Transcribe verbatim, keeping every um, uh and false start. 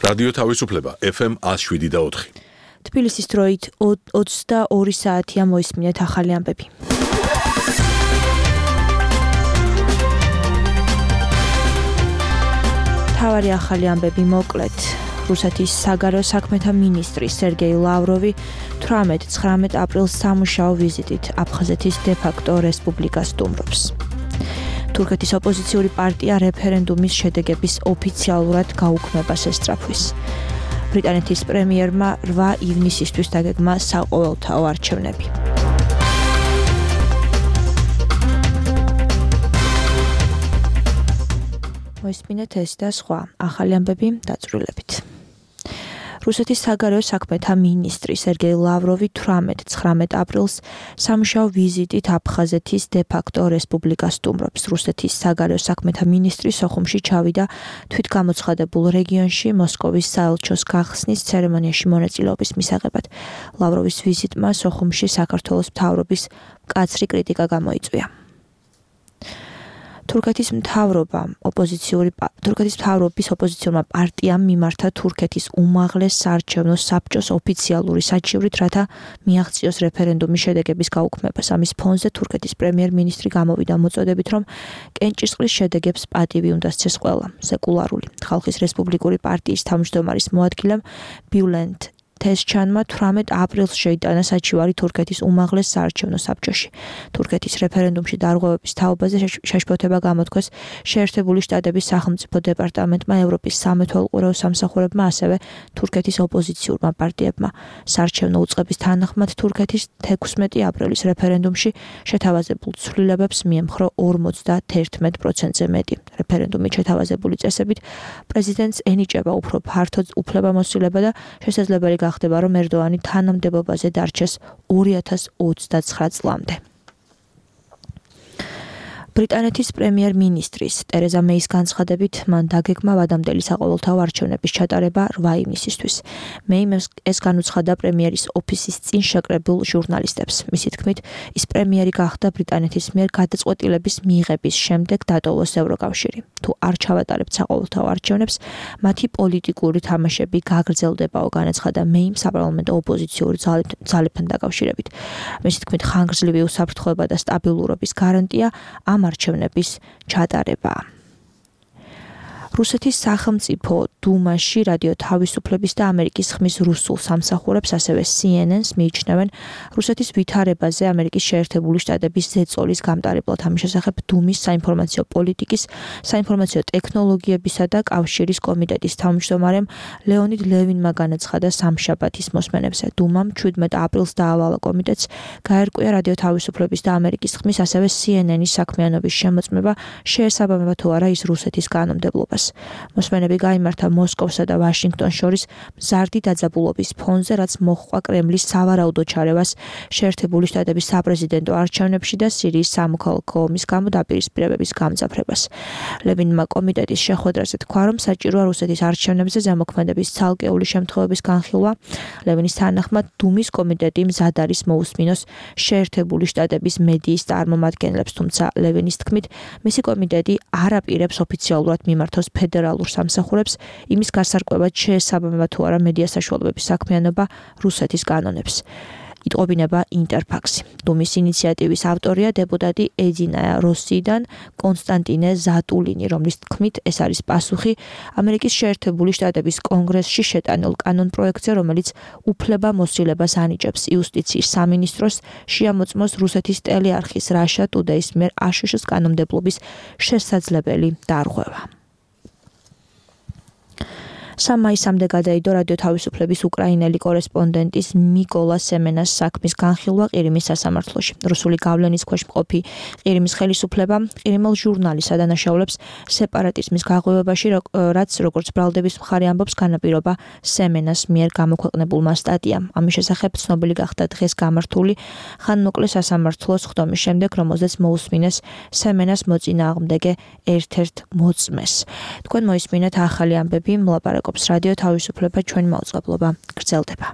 რადიო თავისუფლება ეფ ემ one oh seven და four. თბილისის დროით ოცდაორი საათია მოისმინეთ ახალი ამბები. თავარი ახალი ამბები მოკლედ. რუსეთის საგარეო საქმეთა მინისტრი სერგეი ლავროვი თვრამეტ ცხრამეტ აპრილს სამუშაო ვიზიტით აფხაზეთის დე-ფაქტო რესპუბლიკას სტუმრობს. თურქეთის ოპოზიციური პარტია რეფერენდუმის შედეგების ოფიციალურად გაუქმებას ესწრაფვის. ბრიტანეთის პრემიერმა რვა ივნისისთვის დაგეგმა საყოველთაო არჩევნები. მოისმინეთ ეს და სხვა ახალი ამბები დაწვრილებით. რუსეთის საგარეო საქმეთა მინისტრი სერგეი ლავროვი თვრამეტ ცხრამეტ აპრილს სამუშაო ვიზიტით აფხაზეთის დე-ფაქტო რესპუბლიკას სტუმრობს. რუსეთის საგარეო საქმეთა მინისტრი სოხუმში ჩავიდა თვითგამოცხადებულ რეგიონში მოსკოვის საელჩოს გახსნის ცერემონიაში მონაწილეობის მისაღებად. ლავროვის ვიზიტმა სოხუმში საქართველოს მთავრობის მკაცრი კრიტიკა გამოიწვია. თურქეთის მთავრობამ ოპოზიციური თურქეთის მთავრობის ოპოზიციურმა პარტიამ მიმართა თურქეთის უმაღლეს საარჩევნო საბჭოს ოფიციალური საჩივრით, რათა მიაღწიოს რეფერენდუმის შედეგების გაუქმებას. ამის ფონზე თურქეთის პრემიერ-მინისტრი გამოვიდა მოწოდებით, რომ კენჭისყრის შედეგებს პატივი უნდა სცეს ყველა. სეკულარული ხალხის რესპუბლიკური პარტიის თავმჯდომარის მოადგილემ ბიულენდ თესჩანმა თვრამეტ აპრილს შეიტანა საჩივარი თურქეთის უმაღლეს საარჩევნო საბჭოში. თურქეთის რეფერენდუმში დარღვევების თაობაზე შეშფოთება გამოთქვეს შეერთებული შტატების სახელმწიფო დეპარტამენტმა, ევროპის სამეთვალყურეო სამსახურებმა, ასევე თურქეთის ოპოზიციურმა პარტიებმა. საარჩევნო უწყების თანახმად თურქეთის თექვსმეტი აპრილის რეფერენდუმში შეთავაზებულ ცვლილებებს მიემხრო ორმოცდაერთმეტ პროცენტზე მეტი. რეფერენდუმით შეთავაზებული წესებით პრეზიდენტს ენიჭება უფრო ფართო უფლებამოსილება და შესაძლებელი ხდება, რომ ერდოანი თანამდებობაზე დარჩეს ორი ათას ოცდაცხრა წლამდე. ბრიტანეთის პრემიერ-მინისტრის ტერეზა მეის განცხადებით, მან დაგეგმა ვადამდელი საყოველთაო არჩევნების ჩატარება რვა ივნისისთვის. მეიმ ეს განუცხადა პრემიერის ოფისის წინ შეკრებულ ჟურნალისტებს. მისი თქმით, ის პრემიერი გახდა ბრიტანეთის მიერ გადაწყვეტილების მიღების შემდეგ დატოვოს ევროკავშირი. თუ არ ჩავატარებთ საყოველთაო არჩევნებს, მათი პოლიტიკური თამაშები გაგრძელდებაო, განაცხადა მეიმ საპარლამენტო ოპოზიციური ძალებთან დაკავშირებით. მისი თქმით, ხანგრძლივი უსაფრთხოება და სტაბილურობის გარანტია ამ არჩევნების ჩატარებაა. რუსეთის სახელმწიფო დუმაში რადიო თავისუფლების და ამერიკის ხმის რუსულ სამსახურებს, ასევე სი ენ ენს მიიჩნევენ რუსეთის ვითარებაზე ამერიკის შეერთებული შტატების ზეწოლის გამტარებლად. ამის შესახებ დუმის საინფორმაციო პოლიტიკის, საინფორმაციო ტექნოლოგიებისა და კავშირის კომიტეტის თავმჯდომარემ ლეონიდ ლევინმა განაცხადა სამშაბათის მოსმენებზე. დუმამ შვიდმეტ აპრილს დაავალა კომიტეტს გაერკვია რადიო თავისუფლების და ამერიკის ხმის, ასევე სი ენ ენის საქმიანობის შემოწმება, შეესაბამება თუ არა ის რუსეთის კანონმდებლობას. მოსმენები გაიმართა მოსკოვსა და ვაშინგტონს შორის მზარდი დაძაბულობის ფონზე, რაც მოჰყვა კრემლის სავარაუდო ჩარევას შეერთებული შტატების საპრეზიდენტო არჩევნებში და სირიის სამოქალაქო ომის გამო დაპირისპირებების გამძაფრებას. ლევინმა კომიტეტის შეხვედრაზე თქვა, რომ საჭიროა რუსეთის არჩევნებზე ზემოქმედების ცალკეული შემთხვევების განხილვა. ლევინის თანახმად, დუმის კომიტეტი მზად არის მოусმინოს შეერთებული შტატების მედიის წარმომადგენლებს, თუმცა ლევინის თქმით, მისი კომიტეტი არ აპირებს ოფიციალურად მიმართოს ფედერალურ სამსახურებს იმის გასარკვევად შეესაბამება თუ არა მედია საშუალებების საქმიანობა რუსეთის კანონებს. იტყობინება ინტერფაქსი. დუმის ინიციატივის ავტორია დეპუტატი ედინა როსიდან კონსტანტინე ზატულინი, რომლის თქმით ეს არის პასუხი ამერიკის შეერთებული შტატების კონგრესში შეტანილ კანონპროექტზე, რომელიც უფლებამოსილებას ანიჭებს იუსტიციის სამინისტროს შეამოწმოს რუსეთის ტელეარხის Russia Today-ის მიერ აშშ-ის კანონმდებლობის შესაძლებელი დარღვევა. სამ მაისამდე გადაიდო რადიო თავისუფლების უკრაინელი კორესპონდენტის მიკოლა სემენას საქმის განხილვა ყირიმის სასამართლოში. რუსული გავლენის ქვეშ მყოფი ყირიმის ხელისუფლება ყირიმელ ჟურნალის ადანაშაულებს სეპარატიზმის გაღვივებაში, რაც როგორც ბრალდების მხარე ამბობს, განაპირობა სემენას მიერ გამოქვეყნებულმა სტატიამ. ამის შესახებ ცნობილი გახდა დღეს გამართული ხანმოკლე სასამართლოს ხდომის შემდეგ, რომელზეც მოусმინეს სემენას მოწინააღმდეგე ერთ-ერთ მოწმეს. თქვენ მოისმინეთ ახალი ამბები, მოლაპარაკობს რადიო თავისუფლება, ჩვენი მაუწყებლობა გრძელდება.